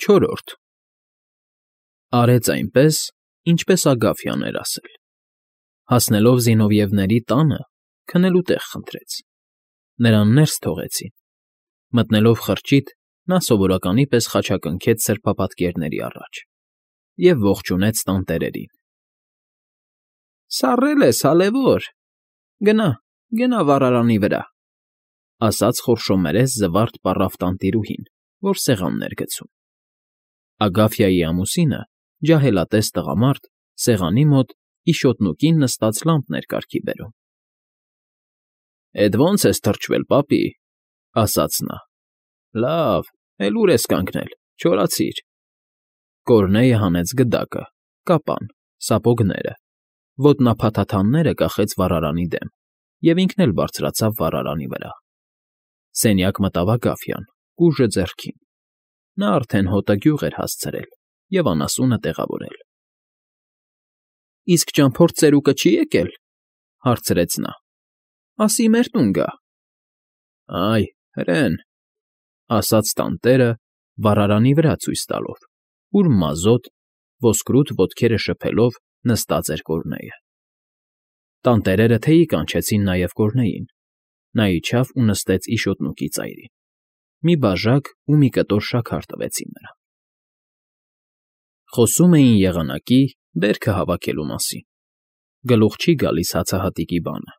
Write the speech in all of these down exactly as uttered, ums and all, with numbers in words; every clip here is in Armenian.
Չորրորդ Արեց այնպես, ինչպես Ագաֆյան էր ասել. հասնելով Զինովիևների տանը, քնելու տեղ խնդրեց. նրան ներս թողեցին. մտնելով խրճիթ, նա սովորականի պես խաչակնքեց սրբապատկերների առաջ և ողջունեց տանտերերին. Սառել ես, հալևոր, գնա, գնա վառարանի վրա, ասաց խորշոմերես զվարթ պառավ տանտիրուհին, որ սեղանն էր գցում. Ագաֆյայի ամուսինը, ջահելատես տղամարդ, սեղանի մոտ իշոտնուկին նստած լամպն էր կարգի բերում։ Էդ ո՞նց ես թրջվել, պապի, ասաց նա։ Լավ, էլ ուր ես կանգնել, չորացիր։ Կորնեյը հանեց գդակը, կապան, սապոգները, ոտնափաթաթանները կախեց վառարանի դեմ և ինքն էլ բարձրացավ վառարանի վրա։ Սենյակ մտավ Ագաֆյան, կուժը ձեռքին։ Նա արդեն հոտը գյուղ էր հասցրել և անասունը տեղավորել։ Իսկ ճամփորդ ծերուկը չի՞ եկել, հարցրեց նա։ Ասի մեր տուն գա։ Այ, հրեն, ասաց տանտերը, վառարանի վրա ցույց տալով, ուր մազոտ, ոսկրուտ ոտքերը շփելով նստած էր Կորնեյը։ Տանտերերը թեյի կանչեցին նաև Կորնեյին։ Նա իջավ ու նստեց իշոտնուկի ծայրին։ Մի բաժակ ու մի կտոր շաքար տվեցին նրան։ Խոսում էին եղանակի, բերքը հավաքելու մասին։ Գլուխ չի գալիս հացահատիկի բանը։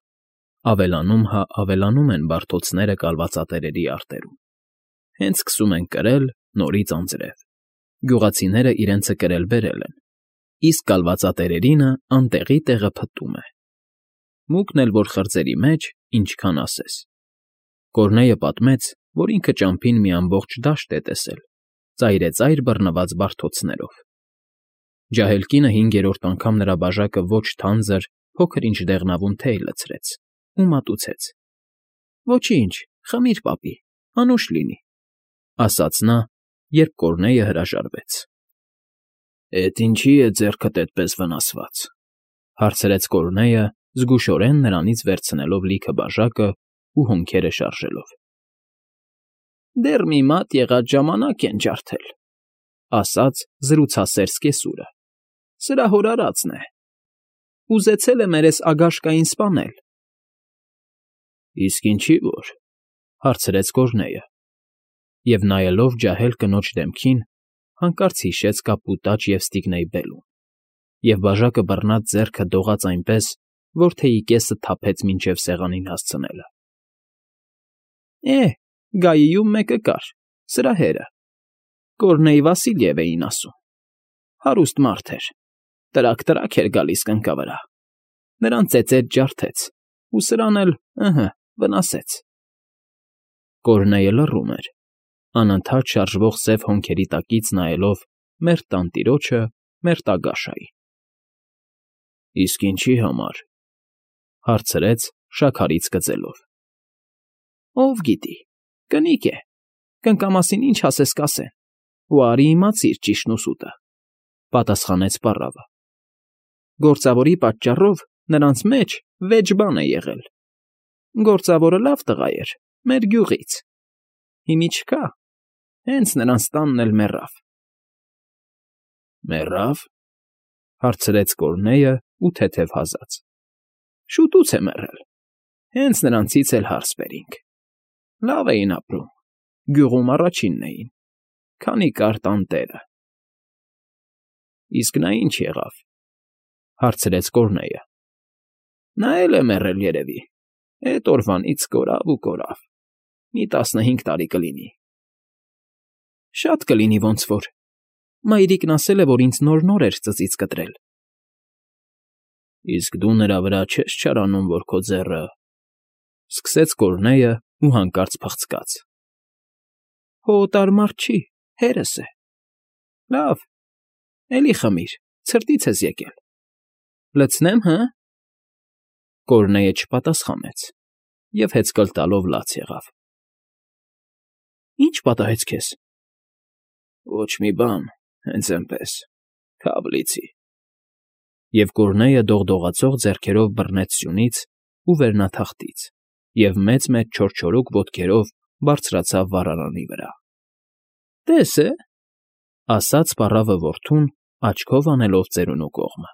Ավելանում հա ավելանում են բարդոցները կալվածատերերի արտերում։ Հենց սկսում են կրել նորից անձրև։ Գյուղացիները իրենցը կրել֊բերել են, իսկ կալվածատերերինը անտեղի տեղը փտտում է։ Մուկն էլ որ խրձերի մեջ, ինչքան ասես։ Կորնեյը պատմեց, որ ինքը ճամփին մի ամբողջ դաշտ է տեսել, ծայրեծայր բռնված բարդոցներով։ Ջահել կինը հինգերորդ անգամ նրա բաժակը ոչ թանձր, փոքր-ինչ դեղնավուն թեյ լցրեց ու մատուցեց։ Ոչինչ, խմիր, պապի, անուշ լինի, ասաց նա, երբ Կորնեյը հրաժարվեց։ Էդ ինչի՞ է ձեռքդ էդպես վնասված, հարցրեց Կորնեյը, զգուշորեն նրանից վերցնելով լիքը բաժակը ու հոնքերը շարժելով։ Դեռ մի մատ եղած ժամանակ են ջարդել, ասաց զրուցասեր սկեսուրը։ Սրա հոր արածն է։ Ուզեցել է մերես Ագաշկային սպանել։ Իսկ ինչի՞ որ, հարցրեց Կորնեյը, և նայելով ջահել կնոջ դեմքին, հանկարծ հիշեց կապուտաչ և ստիգնեյ բելուն, և բաժակը բռնած ձեռքը դողաց այնպես, որ թեյի կեսը թափեց մինչև սեղանին հասցնելը։ Է, գայիում մեկը կար, սրահերը, Կորնեյ Վասիլև էին ասում։ Հարուստ մարդ էր, տրակ֊տրակ էր գալիս կնկա վրա, նրան ծեծեց ջարդեց, ու սրան էլ, ըհը, վնասեց։ Կորնեյը լռում էր, անընդհատ շարժվող սև հոնքերի տակից նայելով մերթ տանտիրոջը, մերթ Ագաշային։ Իսկ ինչի՞ համար, հարցրեց շաքարից կծելով։ Ով գիտի, կնիկ է, կնկամասին ինչ ասես կասեն, ու արի իմացիր ճիշտն ու սուտը, պատասխանեց պառավը։ Գործավորի պատճառով նրանց մեջ վեճ բան է եղել։ Գործավորը լավ տղա էր, մեր գյուղից։ Հիմի չկա, հենց նրանց տանն էլ մեռավ։ Մեռա՞վ, հարցրեց Կորնեյը ու թեթև հազաց։ Շուտուց է մեռել, հենց նրանցից էլ հարս բերինք։ Լավ էին ապրում, գյուղում առաջինն էին, քանի կար տանտերը։ Իսկ նա ինչ եղավ, հարցրեց Կորնեյը։ Նա էլ է մեռել երևի, էդ օրվանից կորավ ու կորավ, մի տասնհինգ տարի կլինի։ Շատ կլինի ոնց որ, մայրիկն ասել է, որ ինձ նոր֊նոր էր ծծից կտրել։ Իսկ դու նրա վրա չես չարանում, որ քո ձեռը… Սկսեց Կորնեյը ու հանկարծ փղցկաց։ Հո օտար մարդ չի, հերս է։ Լավ, էլի խմիր, ցրտից ես եկել։ Լցնե՞մ, հը։ Կորնեյը չպատասխանեց և հեծկլ տալով լաց եղավ։ Ի՞նչ պատահեց քեզ։ Ոչ մի բան, հենց էնպես, քավ լիցի։ Եվ Կորնեյը դողդողացող ձեռքերով բռնեց սյունից ու վերնաթախտից և մեծ֊մեծ չորչորուկ ոտքերով բարձրացավ վառարանի վրա։ Տես է, Ասաց պառավը որդուն, աչքով անելով ծերունու կողմը։